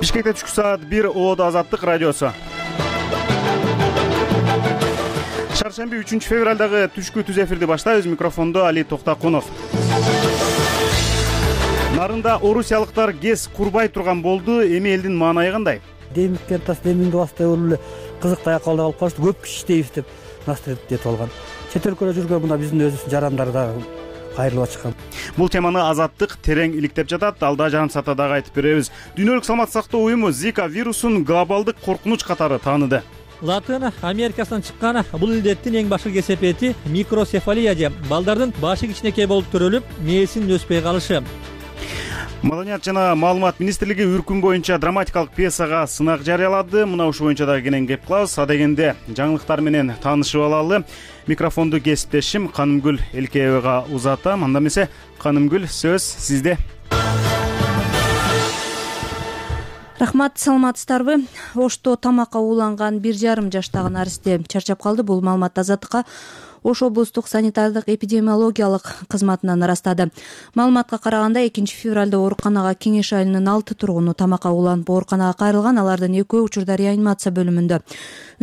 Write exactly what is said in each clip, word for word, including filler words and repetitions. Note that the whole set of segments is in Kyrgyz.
Бишкекте түшкү саат бир Оодо Азаттык радиосу. Шаршемби үчүнчү февралдагы түшкү түз эфирди баштайбыз. Микрофондо Али Токтакунов. Нарында орусиялыктар кез курбай турган болду. Эми элдин маанайы кандай? Демиктер тас демиңди бастай болуп эле кызыктай акыбалда калып калышты. Көп киши иштейбиз деп настроение этип алган. Чет өлкөдө жүргөн мына биздин өзүбүздүн жарандары дагы кайрылып ачкан. Бул теманы Азаттык терең иликтеп жатат. Алда жарым саатта дагы айтып беребиз. Дүйнөлүк саламаттык сактоо уюму Зика вирусун глобалдык коркунуч катары тааныды. Латын Америкасынан чыккан бул илдеттин эң башкы кесепети микроцефалия же балдардын башы кичинекей болуп төрөлүп, мээсинин өспөй калышы. Маданият жана маалымат министрлиги үркүн боюнча драматикалык пьесага сынак жарыялады. Мына ушул боюнча дагы кенен кеп калабыз. Адегенде жаңылыктар менен таанышып алалы. Микрофонду кесиптешим Канымгүл Элкеевага узатам. Анда эмесе, Канымгүл, сөз сизде. Рахмат, саламатсыздарбы? Ошто тамакка ууланган бир жарым жаштагы наристе чарчап калды. Бул маалымат Азаттыкка Ош облустук санитардык эпидемиологиялык кызматынан ырастады. Маалыматка караганда экинчи февралда ооруканага Кеңеш айылынын алты тургуну тамакка ууланып ооруканага кайрылган. Алардын экөө учурда реанимация бөлүмүндө.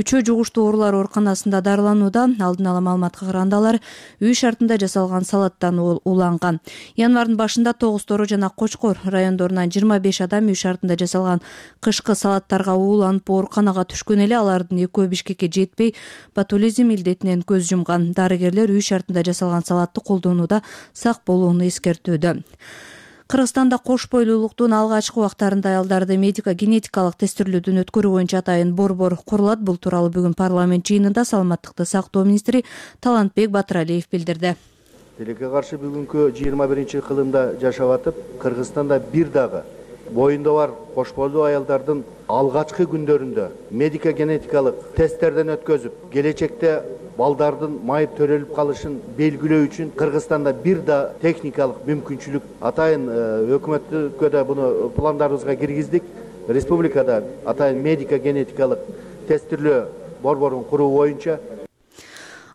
Үчөө жугуштуу оорулар ооруканасында дарыланууда. Алдын ала маалыматка караганда алар үй шартында жасалган салаттан ууланган. Январдын башында тогуз тору жана Кочкор райондорунан жыйырма беш адам үй шартында жасалган кышкы салаттарга ууланып ооруканага түшкөн эле. Алардын экөө Бишкекке жетпей ботулизм илдетинен көз жумган. Дарыгерлер үй шартында жасалган салатты колдонууда сак болууну эскертүүдө. Кыргызстанда кош бойлуулуктун алгачкы убактарында аялдарды медико-генетикалык тестирлөөдөн өткөрүү боюнча атайын борбор курулат. Бул тууралуу бүгүн парламент жыйынында саламаттыкты сактоо министри Талантбек Батыралиев билдирди. Тилекке каршы бүгүнкү жыйырма биринчи кылымда жашап атып, Кыргызстанда бир дагы боюнда бар кош бойлуу аялдардын алгачкы күндөрүндө медико-генетикалык тесттерден өткөзүп, келечекте балдардын майып төрөлүп калышын белгилөө үчүн Кыргызстанда бир да техникалык мүмкүнчүлүк атайын өкмөткө да буну пландарыбызга киргиздик. Республикада атайын медико-генетикалык тестирлөө борборун куруу боюнча.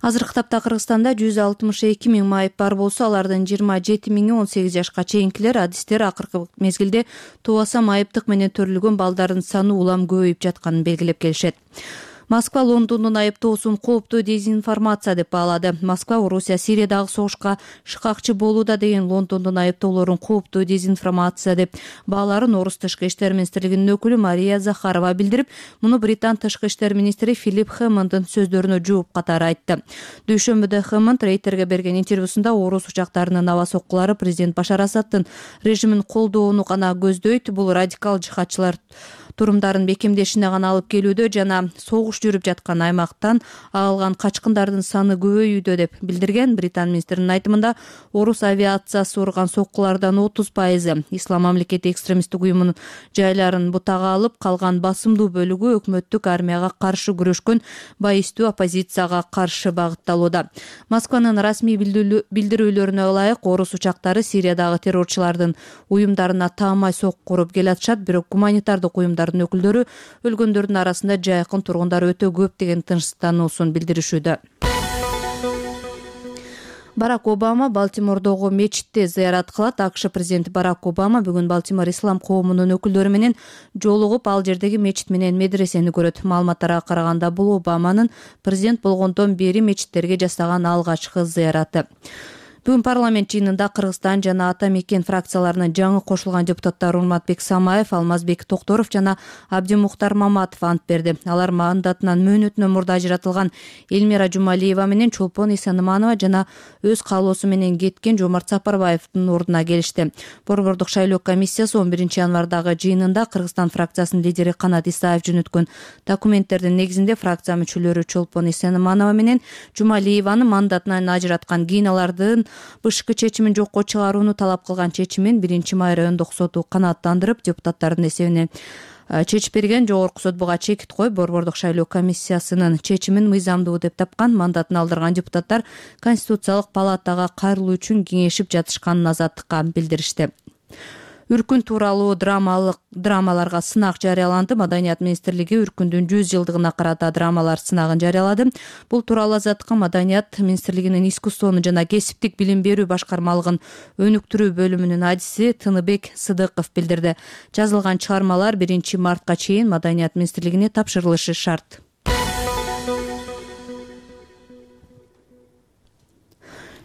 Азыркы тапта Кыргызстанда жүз алтымыш эки миң майып бар болсо, алардын жыйырма жети миңи он сегиз жашка чейинкилер. Адистер акыркы мезгилде тубаса майыптык менен төрөлгөн балдардын саны улам көбөйүп жатканын белгилеп келишет. Москва Лондондун айыптоосун кооптуу дезинформация деп баалады. Москва Орусия Сириядагы согушка шыкакчы болууда деген Лондондун айыптоолорун кооптуу дезинформация деп бааларын орус тышкы иштер министрлигинин өкүлү Мария Захарова билдирип, муну Британ тышкы иштер министри Филипп Хэммонддун сөздөрүнө жооп катары айтты. Дүйшөмбүдө Хэммонд Рейтерге берген интервьюсунда орус учактарынын аба соккулары президент Башар Асадтын режимин колдоону гана көздөйт, бул радикал жихадчылар турумдарын бекемдешине гана алып келүүдө жана согуш жүрүп жаткан аймактан агылган качкындардын саны көбөйүүдө деп билдирген. Британ министринин айтымында орус авиациясы урган соккулардан отуз пайызы Ислам мамлекети экстремисттик уюмунун жайларын бутага алып, калган басымдуу бөлүгү өкмөттүк армияга каршы күрөшкөн байистүү оппозицияга каршы багытталууда. Москванын расмий билдирүүлөрүнө ылайык орус учактары Сириядагы террорчулардын уюмдарына таамай сокку уруп келатышат, бирок гуманитардык уюмдар өкүлдөрү өлгөндөрдүн арасында жайкын тургундар өтө көп деген тынчтануусун билдиришүүдө. Барак Обама Балтимордогу мечитте зыярат кылат. АКШ президенти Барак Обама бүгүн Балтимор ислам коомунун өкүлдөрү менен жолугуп, ал жердеги мечит менен медресени көрөт. Маалыматтарга караганда бул Обаманын президент болгондон бери мечиттерге жасаган алгачкы зыяраты. Бүгүн парламент жыйынында Кыргызстан жана Ата Мекен фракцияларынын жаңы кошулган депутаттары Урматбек Самаев, Алмазбек Токторов жана Абдимухтар Маматов ант берди. Алар мандатынан мөөнөтүнөн мурда ажыратылган Элмира Жумалиева менен Чолпон Исаныманова жана өз каалоосу менен кеткен Жомарт Сапарбаевдин ордуна келишти. Борбордук шайлоо комиссиясы он биринчи январдагы жыйынында Кыргызстан фракциясынын лидери Канат Исаев жөнөткөн документтердин негизинде фракция мүчөлөрү Чолпон Исаныманова менен Жумалиеваны мандатынан ажыраткан. Кийин алардын бышкы чечимин жокко чыгарууну талап кылган чечимин биринчи май райондук соту канааттандырып, депутаттардын эсебине чечип берген. Жогорку сот буга чекит коюп, борбордук шайлоо комиссиясынын чечимин мыйзамдуу деп тапкан. Мандатын алдырган депутаттар Конституциялык палатага кайрылуу үчүн кеңешип жатышканын Азаттыкка билдиришти. Үркүн тууралуу драмалык драмаларга сынак жарыяланды. Маданият министрлиги Үркүндүн жүз жылдыгына карата драмалар сынагын жарыялады. Бул тууралуу Азаттыкка Маданият министрлигинин искусствону жана кесиптик билим берүү башкармалыгын өнүктүрүү бөлүмүнүн адиси Тыныбек Сыдыков билдирди. Жазылган чыгармалар биринчи мартка чейин Маданият министрлигине тапшырылышы шарт.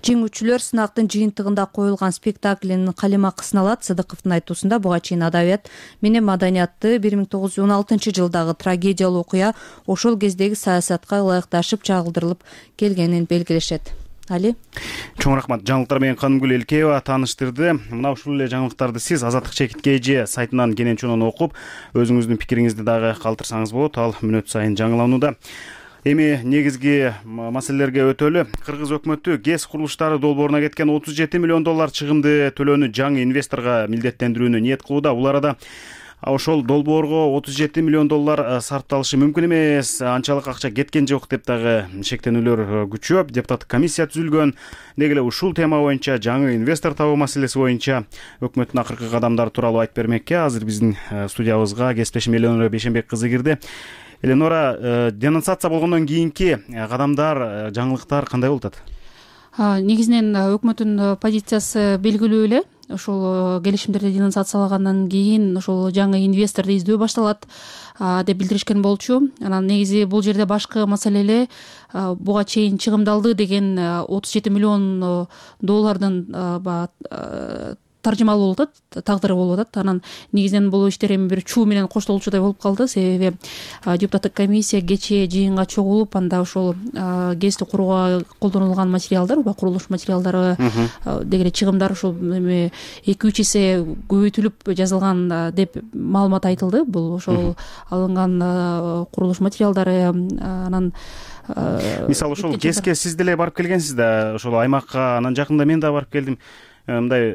Жеңүүчүлөр сынактын жыйынтыгында коюлган спектаклинин калемакысын алат. Сыдыковдун айтуусунда буга чейин адабият менен маданиятты бир миң тогуз жүз он алтынчы жылдагы трагедиялуу окуя ошол кездеги саясатка ылайыкташып чагылдырылып келгенин белгилешет. Али чоң рахмат. Жаңылыктар менен Канымгүл Элкеева тааныштырды. Мына ушул эле жаңылыктарды сиз Азаттык чекит kg сайтынан кенен чонон окуп, өзүңүздүн пикириңизди дагы калтырсаңыз болот. Ал мүнөт сайын жаңыланууда. Эми негизги маселелерге өтөлү. Кыргыз өкмөтү ГЭС курулуштары долбооруна кеткен отуз жети миллион доллар чыгымды төлөөнү жаңы инвесторго милдеттендирүүнү ниет кылууда. Бул арада ошол долбоорго отуз жети миллион доллар сарпталышы мүмкүн эмес, анчалык акча кеткен жок деп дагы шектенүүлөр күчөп, депутаттык комиссия түзүлгөн. Деги эле ушул тема боюнча, жаңы инвестор табуу маселеси боюнча өкмөттүн акыркы кадамдары тууралуу айтып бермекке азыр биздин студиябызга кесиптешим Эленора Бейшенбек кызы кирди. Эленора, денонсация болгондон кийинки кадамдар, жаңылыктар кандай болуп атат? Негизинен өкмөттүн позициясы белгилүү эле. Ошол келишимдерди денонсациялагандан кийин ошол жаңы инвесторду издөө башталат деп билдиришкен болчу. Анан негизи бул жерде башкы маселе эле буга чейин чыгымдалды деген отуз жети миллион доллардын таржымалуу болуп атат, тагдыры болуп атат. Анан негизинен бул иштер эми бир чуу менен коштолчудай болуп калды. Себеби депутаттык комиссия кечээ жыйынга чогулуп, анда ошол ГЭСти курууга колдонулган материалдар, курулуш материалдары деги эле чыгымдар ошол эми эки үч эсе көбөйтүлүп жазылган деп маалымат айтылды. Бул ошол алынган курулуш материалдары. Анан мисалы ошол ГЭСке сиз деле барып келгенсиз да, ошол аймакка. Анан жакында мен да барып келдим. Мындай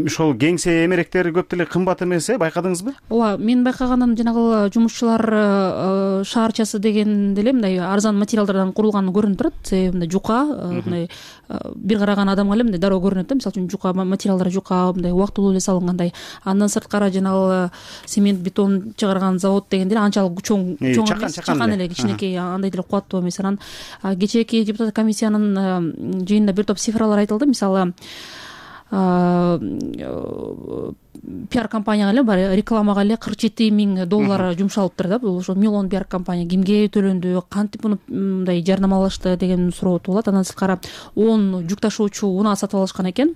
ошол кеңсе эмеректери көп деле кымбат эмес, э, байкадыңызбы? Ооба, мен байкаганым жанагы жумушчулар шаарчасы деген деле мындай арзан материалдардан курулганы көрүнүп турат. Себеби мындай жука, мындай бир караган адамга эле мындай дароо көрүнөт да. Мисалы үчүн жука материалдары жука, мындай убактылуу эле салынгандай. Андан сырткары жанагы цемент бетон чыгарган завод деген деле анчалык чоң чоң эмес, чакан эле, кичинекей, андай деле кубаттуу эмес. Анан кечээки депутаттык комиссиянын жыйынында бир топ цифралар айтылды. Мисалы пиар компанияга эле бар, рекламага эле кырк жети миң доллар жумшалыптыр да. Бул ошо миллион пиар компания кимге төлөндү, кантип муну мындай жарнамалашты деген суроо туулат. Андан сырткары он жүк ташуучу унаа сатып алышкан экен.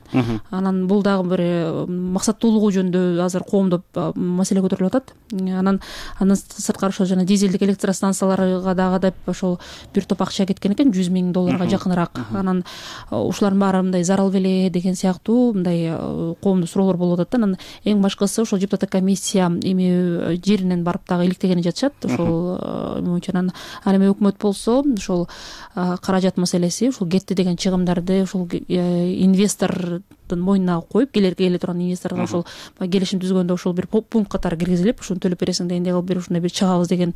Анан бул дагы бир максаттуулугу жөнүндө азыр коомдо маселе көтөрүлүп атат. Анан андан сырткары ошол жана дизелдик электростанцияларга дагы деп ошол бир топ акча кеткен экен, жүз миң долларга жакыныраак. Анан ушулардын баары мындай зарал беле деген сыяктуу мындай коомдо суроолор болуп атат да. Анан эң башкысы ошол депутаттык комиссия эми жеринен барып дагы иликтегени жатышат. Ошол боюнча анан ал эми өкмөт болсо ошол каражат маселеси, ушул кетти деген чыгымдарды ошол инвестордун мойнуна коюп, келерге келе турган инвесторго ошол келишим түзгөндө ошол бир пункт катары киргизилип, ушуну төлөп бересиң дегендей кылып бир ушундай бир чыгабыз деген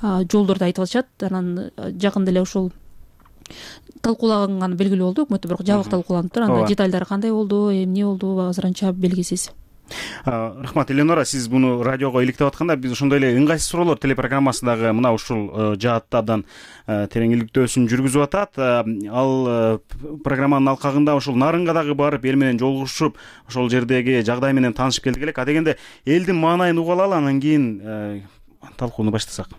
жолдорду айтып атышат. Анан жакында эле ушул талкууланганы белгилүү болду. Өкмөттө бирок жабык талкууланып, анда деталдары кандай болду, эмне болду азырынча белгисиз. Рахмат, Эленора, сиз буну радиого иликтеп атканда биз ошондой эле ыңгайсыз суроолор телепрограммасындагы мына ушул жаатта абдан терең иликтөөсүн жүргүзүп атат. Ал программанын алкагында ошол Нарынга дагы барып, эл менен жолугушуп, ошол жердеги жагдай менен таанышып келдик элек. А дегенде элдин маанайын угуп алалы, анан кийин талкууну баштасак.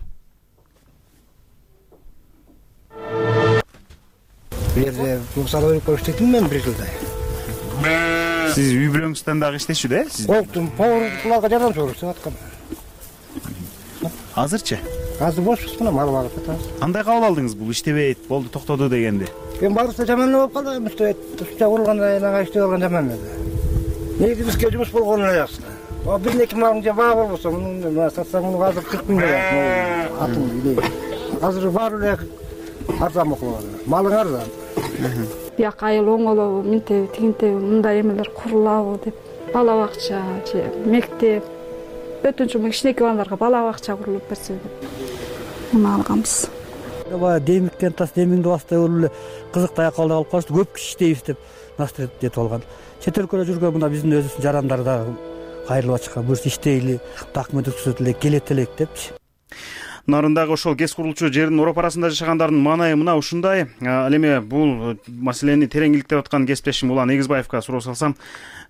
Бул жерде мусор өйрөп иштейм мен бир жылдай. Сиз үй бүлөңүздөн дагы иштешүү да? Колтум, поварларга жардам көрсөтүп аткан. Азырчы? Азыр бошпуз, мына мал багып атабыз. Кандай кабыл алдыңыз бул иштебейт, болду, токтоду дегенди? Мен баарысы жаман болуп калды, иштебейт. Ушунча курулганда энага иштеп алган жаман эле. Негизи бизге жумуш болгону эле жакшы. О, бир эки малың же баа болбосо, муну сатсаң муну азыр кырк миң берет. Атын биле. Азыр баары эле арзан болуп калды. Малың арзан. Бияк айыл оңолобу, минтеби, тигинтеби, мындай эмелер курулабы деп. Бала бакча же мектеп, өтүнчү кичинекей балдарга бала бакча курулуп берсе деп муну алганбыз. Баягы демиктен тас демиңди бастай болуп эле кызык таякка калып калышты. Көп киши иштейбиз деп настроение алган. Чет өлкөдө жүргөн мына биздин өзүбүздүн жарандар дагы кайрылып чыккан. Буюрса иштейли, документ түзөт элек, келет элек депчи. Нарындагы ошол кез курулчу жердин ороп арасында жашагандардын маанайы мына ушундай. Ал эми бул маселени терең иликтеп аткан кесиптешим Улан Эгизбаевка суроо салсам,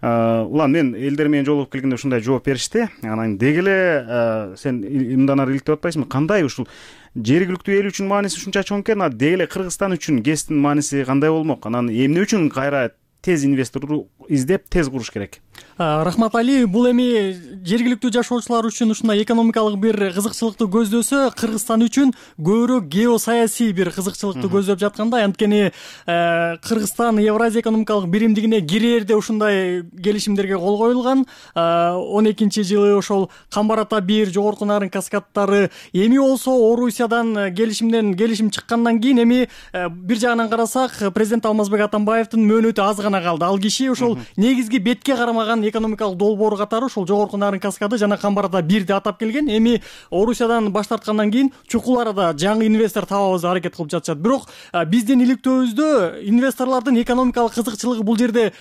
Улан, мен элдер менен жолугуп келгенде ушундай жооп беришти. Анан деги эле сен мындан ары иликтеп атпайсыңбы? Кандай ушул жергиликтүү эл үчүн мааниси ушунча чоң экен, а деги эле Кыргызстан үчүн гэстин мааниси кандай болмок? Анан эмне үчүн кайра тез инвестор издеп тез куруш керек? Рахмат Али, бул эми жергиликтүү жашоочулар үчүн ушундай экономикалык бир кызыкчылыкты көздөсө, Кыргызстан үчүн көбүрөөк геосаясий бир кызыкчылыкты көздөп жаткандай. Анткени Кыргызстан Евразия экономикалык биримдигине кирээрде ушундай келишимдерге кол коюлган. он экинчи жылы ошол Камбар ата бир, Жогорку Нарын каскадтары, эми болсо Орусиядан келишимден келишим чыккандан кийин эми бир жагынан карасак, президент Алмазбек Атамбаевдин мөөнөтү аз гана калды. Ал киши ошол негизги бетке карамаган экономикалык долбоор катары ошол Жогорку Нарын каскады жана Камбар ата бирди атап келген. Эми Орусиядан баш тарткандан кийин чукул арада жаңы инвестор табабыз аракет кылып жатышат. Бирок биздин иликтөөбүздө инвесторлордун экономикалык кызыкчылыгы бул жерде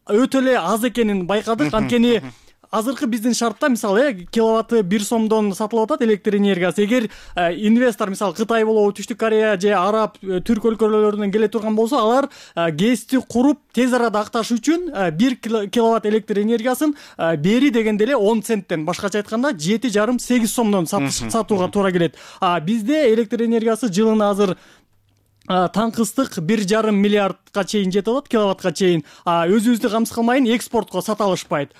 өтө эле аз экенин байкадык. Анткени азыркы биздин шартта мисалы киловатты бир сомдон сатылып атат электр энергиясы. Эгер инвестор мисалы Кытай болобу, Түштүк Корея же Араб, Түрк өлкөлөрүнөн келе турган болсо, алар гэсти куруп тез арада акташ үчүн бир киловатт электр энергиясын бери дегенде эле он центтен, башкача айтканда жети жарым сегиз сомдон сатууга туура келет. А бизде электр энергиясы жылына азыр таңкыстык бир жарым миллиардка чейин жетип атат, киловаттка чейин. Өзүбүздү камсыз кылмайын экспортко сата алышпайт.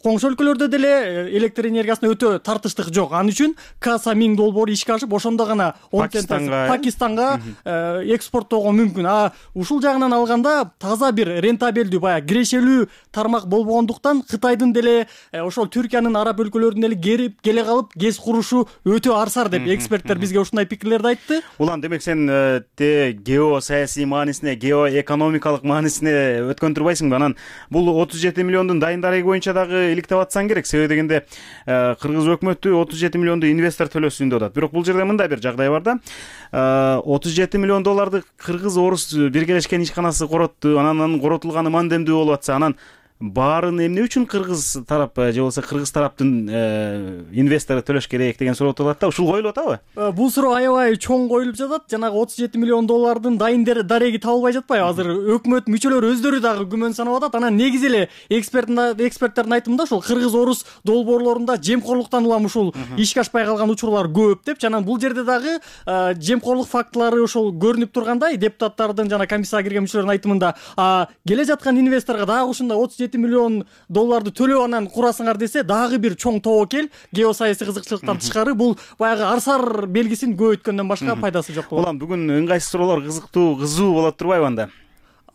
Коңшу өлкөлөрдө деле электр энергиясына өтө тартыштык жок. Ал үчүн Каса миң долбоор ишке ашып, ошондо гана Пакистанга экспорттоого мүмкүн. А ушул жагынан алганда таза бир рентабелдүү, баягы кирешелүү тармак болбогондуктан Кытайдын деле ошол Түркиянын, араб өлкөлөрүнүн деле керип келе калып гез курушу өтө арсар деп эксперттер бизге ушундай пикирлерди айтты. Улан, демек сен геосаясий маанисине, геоэкономикалык маанисине өткөн турбайсыңбы? Анан бул отуз жети миллиондун дайын дареги боюнча дагы иликтеп атсаң керек. Себеби дегенде Кыргыз өкмөтү отуз жети миллионду инвестор төлөсүн деп атат. Бирок бул жерде мындай бир жагдай бар да. отуз жети миллион долларды Кыргыз Орус биргелешкен ишканасы коротту. Анан коротулганы мандемдүү болуп атса, анан баарын эмне үчүн Кыргыз тарап же болбосо Кыргыз тараптын инвестору төлөш керек деген суроо турат да. Ушул коюлуп атабы? Бул суроо аябай чоң коюлуп жатат. Жанагы отуз жети миллион доллардын дайын дареги табылбай жатпайбы? Азыр өкмөт мүчөлөрү өздөрү дагы күмөн санап атат. Анан негизи эле эксперттердин айтымында ушул Кыргыз Орус долбоорлорунда жемкорлуктан улам ушул ишке ашпай калган учурлар көп деп. Анан бул жерде дагы жемкорлук фактылары ошол көрүнүп тургандай, депутаттардын жана комиссияга кирген мүчөлөрдүн айтымында келе жаткан инвесторго дагы ушундай отуз жети миллион долларды төлөп анан курасыңар десе, дагы бир чоң тобокел геосаясий кызыкчылыктан тышкары бул баягы арсар белгисин көбөйткөндөн башка пайдасы жок болот. Улан, бүгүн ыңгайсыз суроолор кызыктуу, кызуу болот турбайбы анда?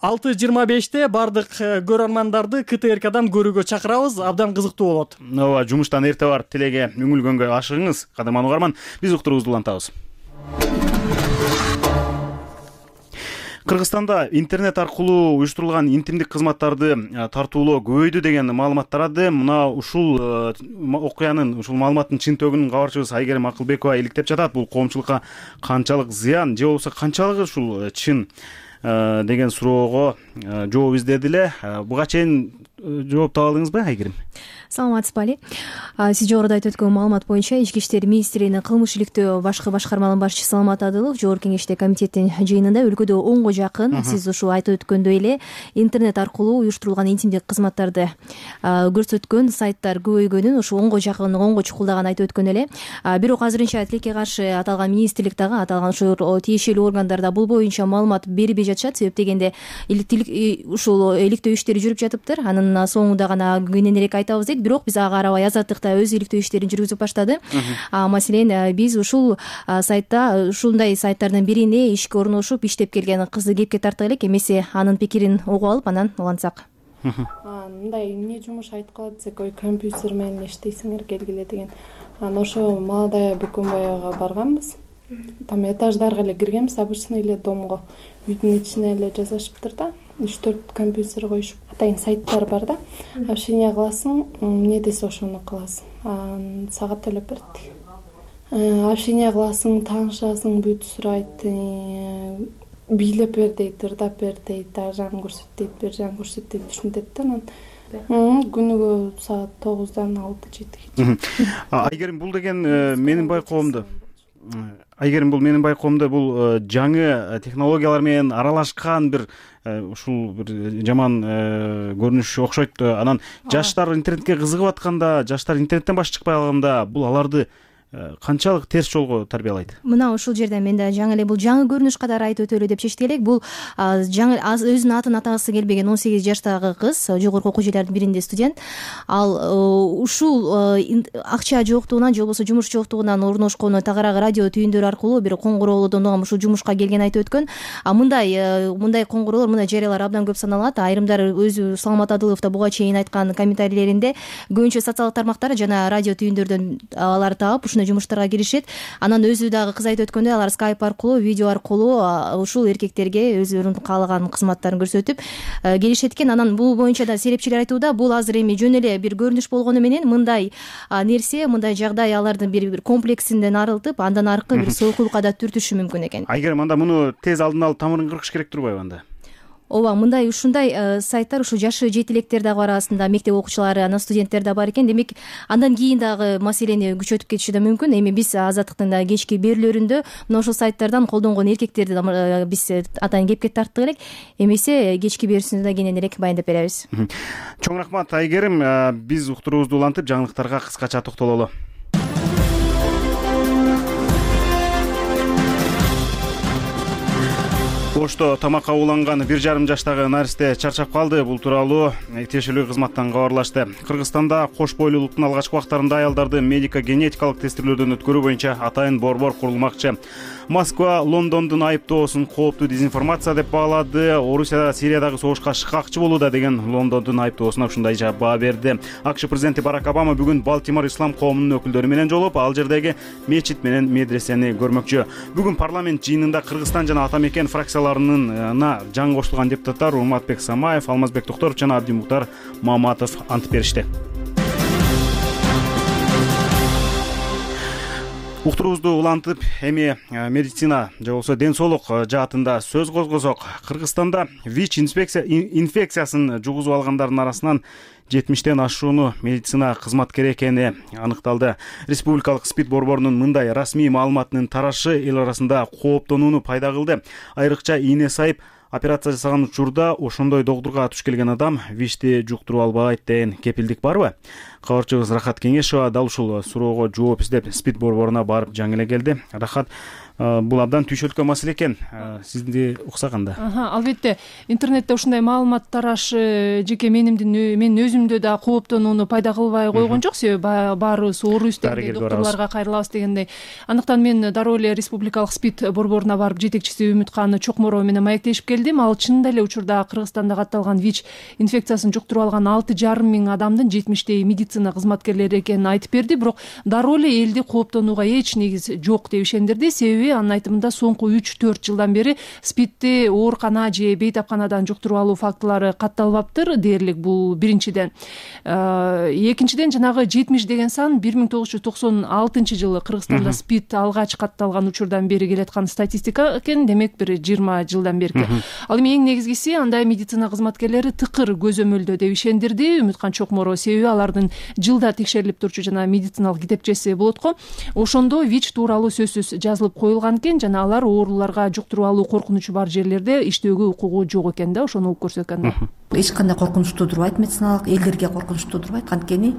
алты жыйырма беште бардык көрөрмандарды К Т Р Кдан көрүүгө чакырабыз. Абдан кызыктуу болот. Ооба, жумуштан эрте барып тилеге үңүлгөнгө ашыгыңыз. Кадырман угарман, биз уктуруубузду улантабыз. Кыргызстанда интернет аркылуу уюштурулган интимдик кызматтарды тартуулоо көбөйдү деген маалымат тарады. Мына ушул окуянын, ушул маалыматтын чынтөгүн кабарчыбыз Айгерим Акылбекова иликтеп жатат. Бул коомчулукка канчалык зыян же болбосо канчалыгы ушул чын деген суроого жооп издеди эле. Буга чейин жооп таба алдыңызбы, Айгерим? Саламатсызбы, Али. Сиз жогоруда айтып өткөн маалымат боюнча Ички иштер министринин кылмыш иликтөө башкы башкарманын башчысы Саламат Адылов Жогорку Кеңеште комитеттин жыйынында өлкөдө онго жакын, сиз ушу айтып өткөндөй эле, интернет аркылуу уюштурулган интимдик кызматтарды көрсөткөн сайттар көбөйгөнүн, ушу онго жакын, онго чукулдаганын айтып өткөн эле. Бирок азырынча тилекке каршы аталган министрлик дагы, аталган ушу тиешелүү органдарда бул боюнча маалымат бербей жатышат. Себеп дегенде ушул иликтөө иштери жүрүп жатыптыр. Анын соңунда гана кененирээк айтабыз дейт. Бирок биз ага карабай Азаттык да өз иликтөө иштерин жүргүзүп баштады. Маселен, биз ушул сайтта, ушундай сайттардын бирине ишке орношуп иштеп келген кызды кепке тарткы элек, эмесе анын пикирин угуп алып анан улантсак. Мындай эмне жумуш айткыла десек, ой компьютер менен иштейсиңер келгиле деген. Анан ошо Молодая Бекөнбаевага барганбыз. Там этаждарга эле киргенбиз, обычный эле домго. Үйдүн ичине эле жасашыптыр да. үч төрт компьютер коюшуп, атайын сайттар бар да. Общение кыласың, эмне десе ошону кыласың. Сага төлөп берет. Общение кыласың, таанышасың, бүт сурайт. бийлеп бер дейт, ырдап бер дейт, ар жагын көрсөт дейт, бер жагын көрсөт дейт, ушинтет да. Анан күнүгө саат тогуздан алты жетиге. Айгерим, бул деген менин байкоомдо Айгерим, бул менин байкоомдо бул жаңы технологиялар менен аралашкан бир ушул бир жаман көрүнүш окшойт. Анан жаштар интернетке кызыгып атканда, жаштар интернеттен баш чыкпай калганда бул аларды канчалык терс жолго тарбиялайт? Мына ушул жерден мен да жаңы эле бул жаңы көрүнүш катары айтып өтөлү деп чечтик элек. Бул жаңы өзүнүн атын атагысы келбеген он сегиз жаштагы кыз, жогорку окуу жайлардын биринде студент. Ал ушул акча жоктугунан же болбосо жумуш жоктугунан орношкону тагыраагы радио түйүндөр аркылуу бир коңгуроолордон угам ушул жумушка келгенин айтып өткөн. А мындай мындай коңгуроолор, мындай жарыялар абдан көп саналат. Айрымдары өзү Саламат Адылов да буга чейин айткан комментарийлеринде көбүнчө социалдык тармактар жана радио түйүндөрдөн аларды таап жумуштарга киришет. Анан өзү дагы кыз айтып өткөндөй, алар скайп аркылуу, видео аркылуу ушул эркектерге өздөрүнүн каалаган кызматтарын көрсөтүп келишет экен. Анан бул боюнча да серепчилер айтууда, бул азыр эми жөн эле бир көрүнүш болгону менен мындай нерсе, мындай жагдай алардын бир бир комплексинден арылтып, андан аркы бир сойкулукка да түртүшү мүмкүн экен. Айгерим, анда муну тез алдын алып тамырын кыркыш керек турбайбы анда? Ооба, мындай ушундай сайттар ушу жашы жети электер дагы арасында, мектеп окуучулары, анан студенттер да бар экен. Демек, андан кийин дагы маселени күчөтүп кетиши да мүмкүн. Эми биз Азаттыктын да кечки берүүлөрүндө мына ушул сайттардан колдонгон эркектерди биз атайын кепке тарттык элек. Эмесе кечки берүүсүндө да кенен элек баяндап беребиз. Чоң рахмат, Айгерим. Биз уктуруубузду улантып, жаңылыктарга кыскача токтололу. Ошто тамакка уланган бир жарым жаштагы наристе чарчап калды. Бул тууралуу тиешелүү кызматтан кабарлашты. Кыргызстанда кош бойлуулуктун алгачкы убактарында аялдарды медико генетикалык тестирүүлөрдөн өткөрүү боюнча атайын борбор курулмакчы. Москва Лондондун айыптоосун кооптуу дезинформация деп баалады. Орусия Сириядагы согушка шыкакчы болууда деген Лондондун айыптоосуна ушундай жооп баа берди. АКШ президенти Барак Обама бүгүн Балтимор ислам коомунун өкүлдөрү менен жолугуп, ал жердеги мечит менен медресени көрмөкчү. Бүгүн парламент жыйынында Кыргызстан жана ата мекен фракцияларына жаңы кошулган депутаттар Урматбек Самаев, Алмазбек Токторов жана Абдимуктар Маматов ант беришти. Уктуруубузду улантып, эми медицина же болбосо ден соолук жаатында сөз козгосок, Кыргызстанда ВИЧ инфекциясын жугузуп алгандардын арасынан жетимиштен ашууну медицина кызматкери экени аныкталды. Республикалык СПИД борборунун мындай расмий маалыматынын тарашы эл арасында кооптонууну пайда кылды. Айрыкча ийне сайып операция жасаган учурда ошондой догдурга туш келген адам ВИЧти жуктуруп албайт деген кепилдик барбы? Кабарчыбыз Рахат Кеңешова дал ушул суроого жооп издеп СПИД борборуна барып жаңы эле келди. Рахат, бул абдан түйшөлткөн маселе экен. Сизди уксаганда. Албетте, интернетте ушундай маалымат тарашы жеке менимдин менин өзүмдө да кооптонууну пайда кылбай койгон жок. Себеби баарыбыз оорубуз дегендей, доктурларга кайрылабыз дегендей. Андыктан мен дароо эле республикалык СПИД борборуна барып жетекчиси Үмүткан Чокморова менен маектешип келдим. Ал чынында эле учурда Кыргызстанда катталган ВИЧ инфекциясын жуктуруп алган алты жарым миң адамдын жетимиштей медицина кызматкерлери экенин айтып берди. Бирок дароо эле элди кооптонууга эч негиз жок деп ишендирди. Себеби анын айтымында соңку үч төрт жылдан бери СПИДти оорукана же бейтапканадан жуктуруп алуу фактылары катталбаптыр дээрлик. Бул биринчиден. Экинчиден, жанагы жетимиш деген сан бир миң тогуз жүз токсон алтынчы жылы Кыргызстанда СПИД алгач катталган учурдан бери келаткан статистика экен. Демек бир жыйырма жылдан берки. Ал эми эң негизгиси андай медицина кызматкерлери тыкыр көзөмөлдөө деп ишендирди Үмүткан Чокморова. Себеби алардын жылда текшерилип турчу жана медициналык китепчеси болот го. Ошондо ВИЧ тууралуу сөзсүз жазылып коюлган экен жана алар ооруларга жуктуруп алуу коркунучу бар жерлерде иштөөгө укугу жок экен да, ошону угуп көрсөткөн да. Эч кандай коркунуч туудурбайт, медициналык элдерге коркунуч туудурбайт. Анткени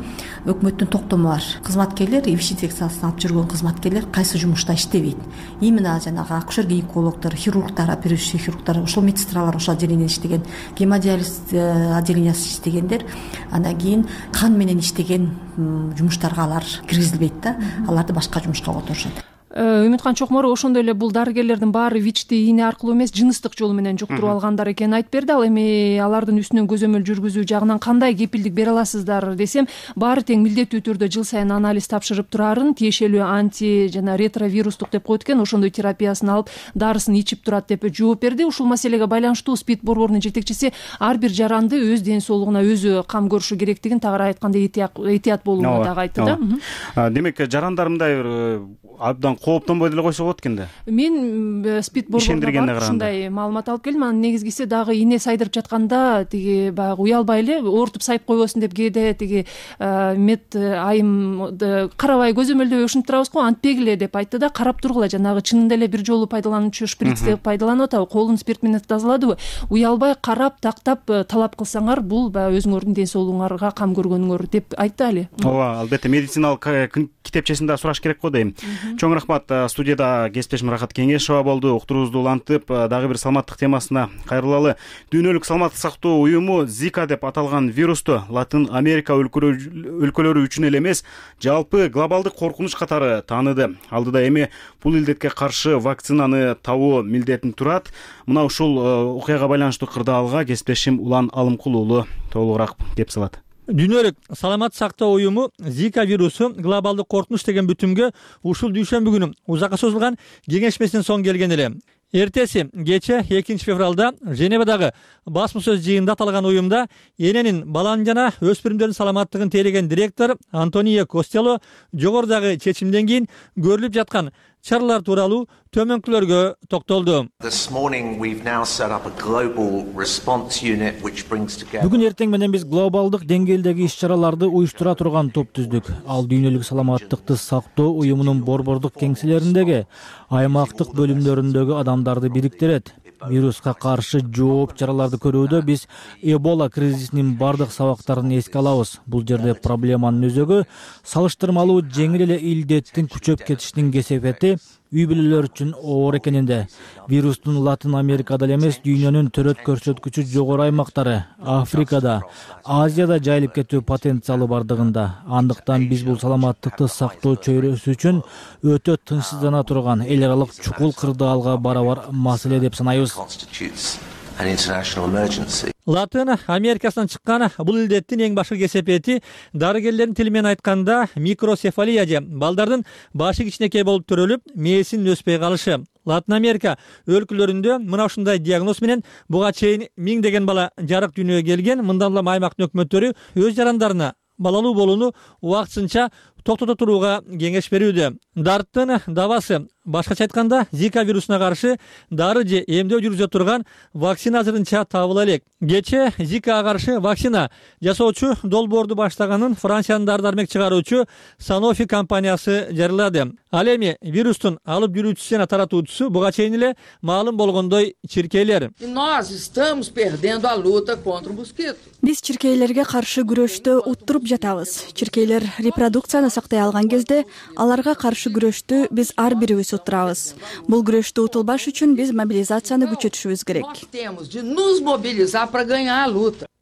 өкмөттүн токтому бар. Кызматкерлер, ВИЧ инфекциясын алып жүргөн кызматкерлер кайсы жумушта иштебейт. Именно жанагы акушер-гинекологдор, хирургтар, оперирующий хирургтар, ошол медсестралар ошол отделениеде иштеген, гемодиализ отделениясында иштегендер, андан кийин кан менен иштеген жумуштарга алар киргизилбейт да. Аларды башка жумушка которушат. Үмүткан Чокморова ошондой эле бул дарыгерлердин баары ВИЧти ийне аркылуу эмес, жыныстык жол менен жуктуруп алгандар экенин айтып берди. Ал эми алардын үстүнөн көзөмөл жүргүзүү жагынан кандай кепилдик бере аласыздар десем, баары тең милдеттүү түрдө жыл сайын анализ тапшырып турарын, тиешелүү анти жана ретровирустук деп коет экен, ошондой терапиясын алып, дарысын ичип турат деп жооп берди. Ушул маселеге байланыштуу СПИД борборунун жетекчиси ар бир жаранды өз ден соолугуна өзү кам көрүшү керектигин, тагыраак айтканда этият болууну дагы айтты да. Демек, жарандар мындай бир абдан кооптонбой деле койсо болот экен да. Мен спид борбордо ушундай маалымат алып келдим. Анын негизгиси дагы ине сайдырып жатканда тиги баягы уялбай эле оорутуп сайып койбосун деп кээде тиги мед айым карабай көзөмөлдөбөй ушинтип турабыз го, антпегиле деп айтты да, карап тургула, жанагы чынында эле бир жолу пайдалануучу шприцти пайдаланып атабы, колун спирт менен тазаладыбы, уялбай карап тактап талап кылсаңар, бул баягы өзүңөрдүн ден соолугуңарга кам көргөнүңөр деп айтты али. Ооба, албетте медициналык китепчесин да сураш керек го дейм. Чоң рахмат. Студияда кесиптешим Рахат Кеңешова болду. Уктуруубузду улантып, дагы бир саламаттык темасына кайрылалы. Дүйнөлүк саламаттык сактоо уюму Зика деп аталган вирусту Латын Америка өлкөлөрү үчүн эле эмес, жалпы глобалдык коркунуч катары тааныды. Алдыда эми бул илдетке каршы вакцинаны табуу милдетин турат. Мына ушул окуяга байланыштуу кырдаалга кесиптешим Улан Алымкул уулу толугураак кеп салат. Дүйнөлүк саламаттык сактоо уюму Зика вирусу глобалдык коркунуч деген бүтүмгө ушул дүйшөмбү күнү узакка созулган кеңешмесинен соң келген эле. Эртеси кече экинчи февралда Женевадагы басма сөз жыйынында аталган уюмда эненин, баланын жана өспүрүмдөрдүн саламаттыгын тейлеген директор Антонио Костелло жогорудагы чечимден кийин көрүлүп жаткан чаралар тууралуу төмөнкүлөргө токтолду. Бүгүн эртең менен биз глобалдык деңгээлдеги иш-чараларды уюштура турган топ түздүк. Ал дүйнөлүк саламаттыкты сактоо уюмунун борбордук кеңселериндеги, аймактык бөлүмдөрүндөгү адамдарды бириктирет. Вируска каршы жооп чараларды көрүүдө биз Эбола кризисинин бардык сабактарын эске алабыз. Бул жерде проблеманын өзөгү салыштырмалуу жеңил эле илдеттин күчөп кетишинин кесепети үй бүлөлөр үчүн оор экенинде. Вирустун Латын Америкада эле эмес, дүйнөнүн төрөт көрсөткүчү жогору аймактары, Африкада, Азияда жайылып кетүү потенциалы бардыгында. Андыктан биз бул саламаттыкты сактоо чөйрөсү үчүн өтө тынчсыздана турган эл аралык чукул кырдаалга барабар маселе деп санайбыз. Латын Америкасынан чыккан бул илдеттин эң башкы кесепети дарыгерлердин тили менен айтканда микроцефалия же балдардын башы кичинекей болуп төрөлүп, мээсинин өспөй калышы. Латын Америка өлкөлөрүндө мына ушундай диагноз менен буга чейин миңдеген бала жарык дүйнөгө келген. Мындан улам аймактын өкмөттөрү өз жарандарына балалуу болууну убактысынча токтото турууга кеңеш берүүдө. Дарттын дабасы, башкача айтканда, Зика вирусуна каршы дары же эмдөө жүргүзө турган вакцина азырынча табыла элек. Кече Зикага каршы вакцина жасоочу долбоорду баштаганын Франциянын дары дармек чыгаруучу Sanofi компаниясы жарыялады. Ал эми вирустун алып жүрүүчүсү жана таратуучусу буга чейин эле маалым болгондой чиркейлер. Биз чиркейлерге каршы күрөштө уттуруп жатабыз. Чиркейлер репродукцияны сактай алган кезде аларга каршы күрөштү биз ар бирибиз уттурабыз. Бул күрөштү утулбаш үчүн биз мобилизацияны күчөтүшүбүз керек.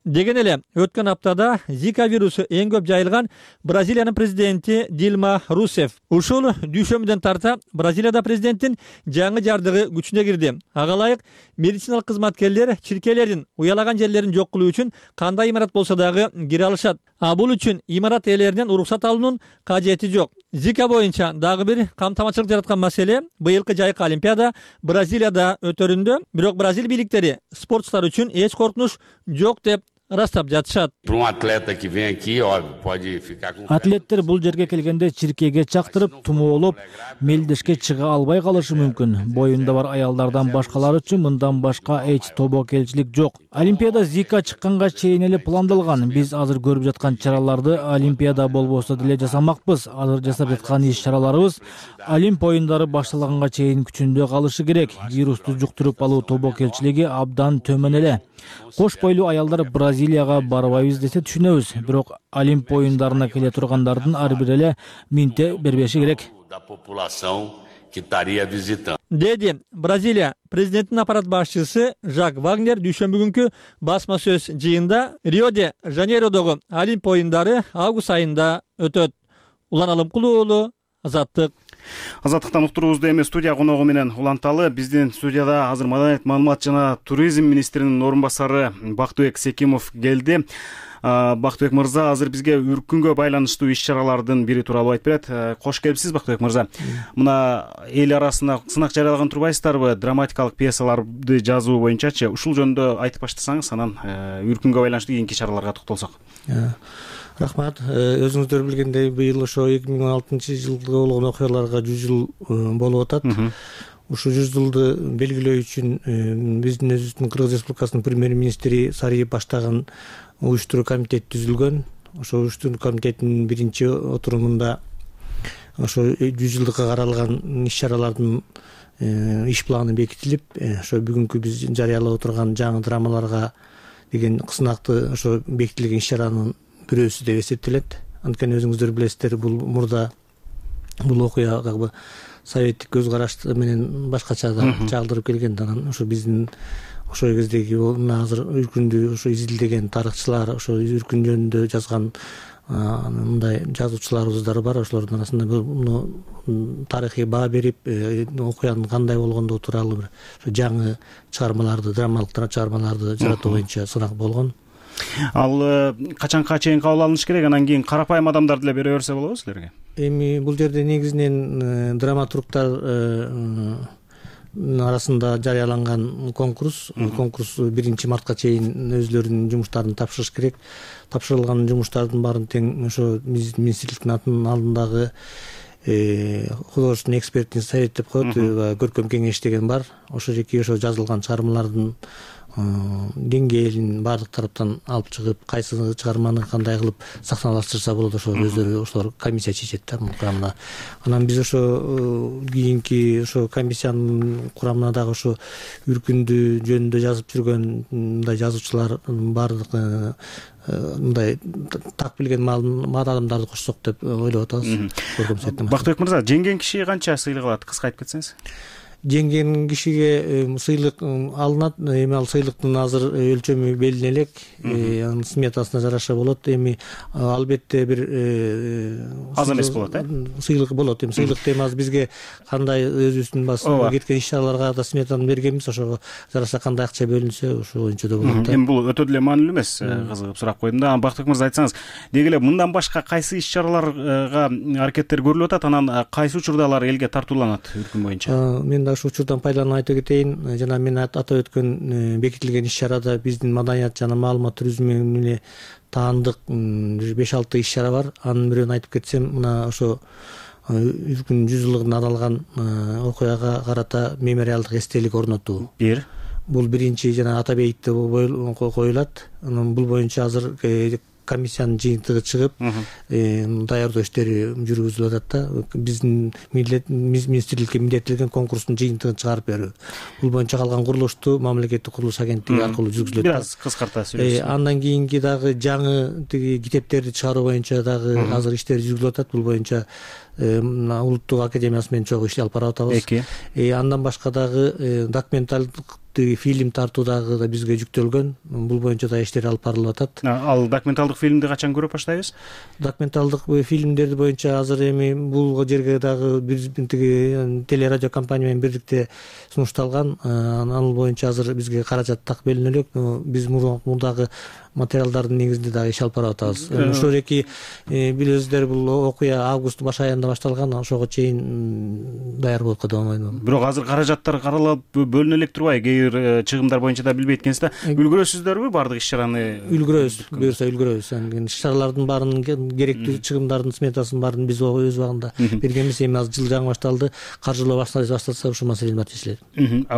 Деген эле өткөн аптада Зика вирусу эң көп жайылган Бразилиянын президенти Дилма Русеф. Ушул дүйшөмбүдөн тарта Бразилияда президенттин жаңы жардыгы күчүнө кирди. Ага ылайык медициналык кызматкерлер чиркейлердин уялаган жерлерин жок кылуу үчүн кандай имарат болсо дагы кире алышат. А бул үчүн имарат ээлеринен уруксат алуунун кажети жок. Зика боюнча дагы бир камтамачылык жараткан маселе быйылкы жайкы Олимпиада Бразилияда өтөрүндө, бирок Бразил бийликтери спортчулар үчүн эч коркунуч жок деп растап жатышат. Атлеттер бул жерге келгенде чиркейге чактырып, тумоолоп, мелдешке чыга албай калышы мүмкүн. Боюнда бар аялдардан башкалар үчүн мындан башка эч тобокелчилик жок. Олимпиада Зика чыкканга чейин эле пландалган. Биз азыр көрүп жаткан чараларды Олимпиада болбосо деле жасамакпыз. Азыр жасап жаткан иш-чараларыбыз Олимп оюндары башталганга чейин күчүндө калышы керек. Вирусту жуктуруп алуу тобокелчилиги абдан төмөн эле. Кош бойлуу аялдар Бразилияга барбайбыз десе түшүнөбүз, бирок Олимп оюндарына келе тургандардын ар бири эле минте бербеши керек. Деди Бразилия президентинин аппарат башчысы Жак Вагнер дүйшөмбү күнкү басма сөз жыйында Рио-де Жанейродогу Олимп оюндары август айында өтөт. Улан Алымкул уулу, Азаттык. Азаттыктан уктуруубузду эми студия коногу менен уланталы. Биздин студияда азыр Маданият, маалымат жана туризм министринин орун басары Бактыбек Секимов келди. Бактыбек мырза азыр бизге үркүнгө байланыштуу иш-чаралардын бири тууралуу айтып берет. Кош келипсиз, Бактыбек мырза. Мына эл арасында сынак жарыялаган турбайсыздарбы? Драматикалык пьесаларды жазуу боюнчачы ушул жөнүндө айтып баштасаңыз, анан үркүнгө байланыштуу кийинки чараларга токтолсок. Рахмат. Өзүңүздөр билгендей, быйыл ошо эки миң он алтынчы жылга болгон окуяларга жүз жыл болуп атат. Ушул жүз жылды белгилөө үчүн биздин өзүбүздүн Кыргыз Республикасынын премьер-министри Сариев баштаган уюштуруу комитет түзүлгөн. Ошо уюштуруу комитеттин биринчи отурумунда ошо жүз жылдыкка каралган иш-чаралардын иш планы бекитилип, ошо бүгүнкү биз жарыялап отурган жаңы драмаларга деген сынакты ошо бекитилген иш-чаранын бирөөсү деп эсептелет. Анткени өзүңүздөр билесиздер, бул мурда бул окуя как бы советтик көз караш менен башкача да чагылдырып келген. Анан ошо биздин ошол кездеги азыр үркүндү ошо изилдеген тарыхчылар, ошо үркүн жөнүндө жазган мындай жазуучуларыбыздар бар. Ошолордун арасында муну тарыхый баа берип, окуянын кандай болгондугу тууралуу бир жаңы чыгармаларды, драмалык чыгармаларды жаратуу боюнча сынак болгон. Ал качанга чейин кабыл алыныш керек? Анан кийин карапайым адамдар деле бере берсе болобу силерге? Эми бул жерде негизинен драматургтар арасында жарыяланган конкурс. Конкурс биринчи мартка чейин өзлөрүнүн жумуштарын тапшырыш керек. Тапшырылган жумуштардын баарын тең ошо министрликтин атынын алдындагы художественный экспертный совет деп коет, көркөм кеңеш деген бар. Ошо жеке ошо жазылган чыгармалардын деңгээлин баардык тараптан алып чыгып, кайсы чыгарманы кандай кылып сахналаштырса болот, ошо өздөрү ошолор комиссия чечет да мун курамына. Анан биз ошо кийинки ошо комиссиянын курамына дагы ошо үркүндү жөнүндө жазып жүргөн мындай жазуучулардын баардык мындай так билген адамдарды кошсок деп ойлоп атабыз. Бактыбек мырза, жеңген киши канча сыйлык алат? Кыска айтып кетсеңиз. Жеңген кишиге сыйлык алынат. Эми ал сыйлыктын азыр өлчөмү белгиле элек, анын сметасына жараша болот. Эми албетте бир аз эмес болот, э? Сыйлык болот. Эми сыйлыкты эми азыр бизге кандай өзүбүздүн басына кеткен иш-чараларга да сметаны бергенбиз, ошого жараша кандай акча бөлүнсө, ошо боюнча да болот да. Эми бул өтө деле маанилүү эмес, кызыгып сурап койдум да. Бактыбек мырза, айтсаңыз, деги эле мындан башка кайсы иш-чараларга аракеттер көрүлүп атат, анан кайсы учурда алар элге тартууланат үркүн боюнча? Мен ушул учурдан пайдаланып айтып кетейин. Жана мен атап өткөн бекитилген иш-чарада биздин маданият жана маалымат туризмине таандык беш алты иш-чара бар. Анын бирөөнү айтып кетсем, мына ошо үркүн жүз жылдыгына арналган окуяга карата мемориалдык эстелик орнотуу. Бир бул биринчи жана Атабейитте коюлат. Анан бул боюнча азыр комиссиянын жыйынтыгы чыгып, даярдоо иштери жүргүзүлүп атат да. Биздин министрликке милдеттелген конкурстун жыйынтыгын чыгарып берүү. Бул боюнча калган курулушту мамлекеттик курулуш агенттиги аркылуу жүргүзүлөт. Бир аз кыскарта сүйлөшсөң. Андан кийинки дагы жаңы тиги китептерди чыгаруу боюнча дагы азыр иштер жүргүзүлүп атат. Бул боюнча Улуттук академиясы менен чогуу иш алып барып атабыз. Андан башка дагы документалдык фильм тартуу дагы да бизге жүктөлгөн. Бул боюнча да иштер алып барылып атат. Ал документалдык фильмди качан көрүп баштайбыз? Документалдык фильмдерди боюнча азыр эми бул жерге дагы биздин тиги телерадио компания менен бирдикте сунушталган. Ал боюнча азыр бизге каражат так бөлүнө элек. Биз мурдагы материалдардын негизинде дагы иш алып барып атабыз. Ошол эки билесиздер, бул окуя августтун баш айында башталган, ошого чейин даяр болуп кете алмайдыбы. Бирок азыр каражаттар каралып бөлүнө элек турбайбы? Кээ бир чыгымдар боюнча да билбейт экенсиз да. Үлгүрөсүздөрбү баардык иш-чараны? Үлгүрөбүз, буюрса үлгүрөбүз. Иш-чаралардын баарынын керектүү чыгымдардын сметасын баарын биз өз убагында бергенбиз. Эми азыр жыл жаңы башталды. Каржылоо башталса ушул маселени баары чечилет.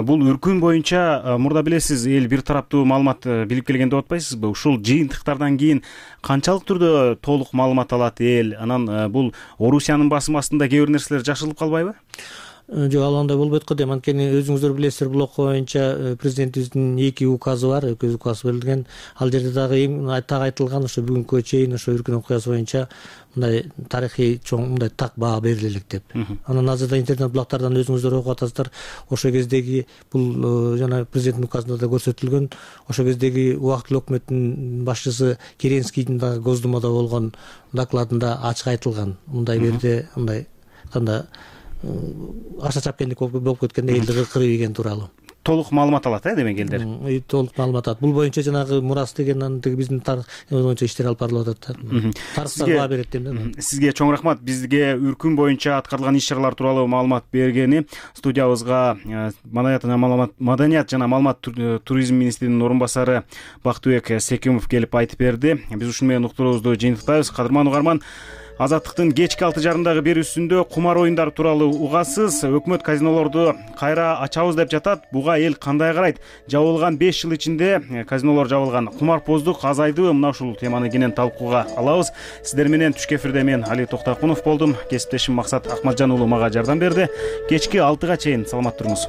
Бул үркүн боюнча мурда билесиз, эл бир тараптуу маалымат билип келген деп атпайсызбы? Ушул жыйынтыктардан кийин канчалык түрдө толук маалымат алат эл? Анан бул Орусиянын басым астында кээ бир нерселер жашылып калбайбы? Жок, ал андай болбойт го дейм. Анткени өзүңүздөр билесиздер, бул окуя боюнча президентибиздин эки указы бар, эки указ берилген. Ал жерде дагы эң так айтылган, ошо бүгүнкү чейин ошо үркүн окуясы боюнча мындай тарыхый чоң мындай так баа бериле элек деп. Анан азырда интернет булактардан өзүңүздөр окуп атасыздар. Ошол кездеги бул жана президенттин указында да көрсөтүлгөн, ошол кездеги убактылуу өкмөттүн башчысы Керенскийдин дагы Госдумада болгон докладында ачык айтылган. Мындай жерде мындай кандай аша чапкендик болуп кеткенде элди кырып ийген тууралуу. толук маалымат алат э демек элдер. Толук маалымат алат. Бул боюнча жанагы мурас деген тиги биздин тарых боюнча иштер алып барылып атат да. Тарыхтар баа берет дейм да. Сизге чоң рахмат. Бизге үркүн боюнча аткарылган иш чаралар тууралуу маалымат бергени. Студиябызга маданият жана маалымат маданият жана маалымат туризм министринин орун басары Бактыбек Секимов келип айтып берди. Биз ушуну менен уктуруубузду жыйынтыктайбыз. Кадырман угарман, Азаттыктын кечки алты жарымдагы берүүсүндө кумар оюндары тууралуу угасыз. Өкмөт казинолорду кайра ачабыз деп жатат. Буга эл кандай карайт? Жабылган беш жыл ичинде казинолор жабылган. Кумарпоздук азайдыбы? Мына ушул теманы кенен талкууга алабыз. Сиздер менен түшкү эфирде мен Али Токтакунов болдум. Кесиптешим Максат Акматжан уулу мага жардам берди. Кечки алтыга чейин саламат туруңуз.